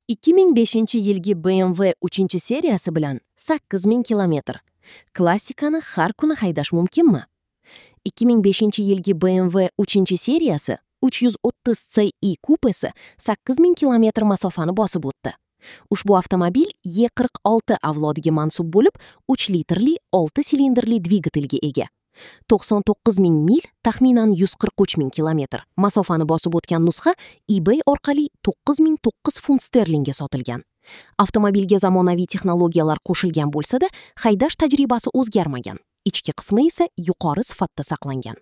2005-yilgi BMW 3-seriyasi bilan 8000 kilometr. Klassikani har kuni haydash mumkinmi? 2005-yilgi BMW 3-seriyasi 330 Ci kupesi 8000 kilometr masofani bosib o'tdi. Ushbu avtomobil E46 avlodiga mansub bo'lib, 3 litrli 6 silindrli dvigatelga ega. 99 ming mil, taxminan 143 ming kilometr masofani bosib o'tgan nusxa eBay orqali 9009 funt sterlingga sotilgan. Avtomobilga zamonaviy texnologiyalar qo'shilgan bo'lsa-da, haydash tajribasi o'zgarmagan. Ichki qismi esa yuqori sifatda saqlangan.